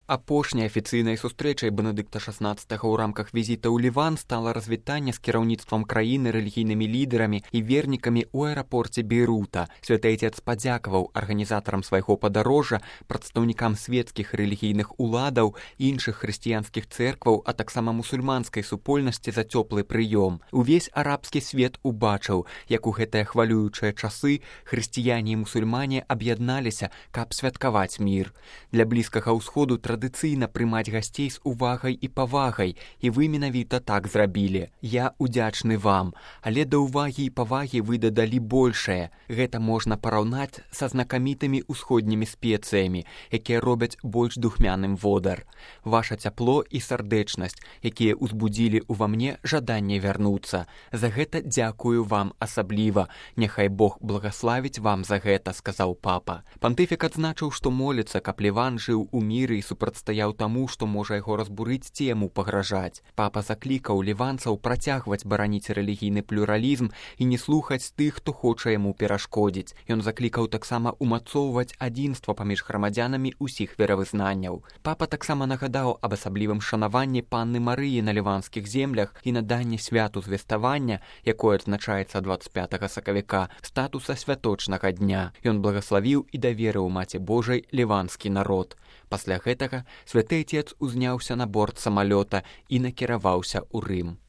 Апошняй афіцыйнай сустрэчай Бенедыкта XVI ў рамках візіта ў Ліван стала развітанне з кіраўніцтвам краіны, рэлігійнымі лідарамі і вернікамі ў аэрапорце Бейрута. Святы Айцец падзякаваў арганізатарам свайго падарожжа, прадстаўнікам свецкіх рэлігійных уладаў, іншых хрысціянскіх цэркваў, а таксама мусульманскай супольнасці за цёплы прыём. Увесь арабскі свет убачыў, як у гэтыя хвалюючыя часы хрысціяне і мусульмане аб'ядналіся, каб святкаваць мір. Для Блізкага ўсходу традыцыйна прымаць гасцей з увагай і павагай, і вы менавіта так зрабілі. Я удзячны вам, але да ўвагі і павагі вы дадалі большае. Гэта можна параўнаць са знакамітымі ўсходнімі спецыямі, якія робяць больш духмяным водар. Ваша цяпло і сардэчнасць, якія ўзбудзілі ўва мне жаданне вярнуцца. За гэта дзякую вам асабліва. Няхай Бог благаславіць вам за гэта, сказаў папа. Пантыфік адзначыў, што моліцца, каб Ліван жыў у міры і супрацьстаяў таму, што можа яго разбурыць ці яму пагражаць. Папа заклікаў ліванцаў працягваць бараніць рэлігійны плюралізм і не слухаць тых, хто хоча яму перашкодзіць. Ён заклікаў таксама умацоўваць адзінства паміж грамадзянамі ўсіх веравызнанняў. Папа таксама нагадаў аб асаблівым шанаванні панны Марыі на ліванскіх землях і наданні святу звеставання, якое адзначаецца 25 сакавіка, статуса святочнага дня. Ён благаславіў і даверыў Маці Божай ліванскі народ. Пасля гэтага святы Айцец узняўся на борт самалёта і накіраваўся ў Рым.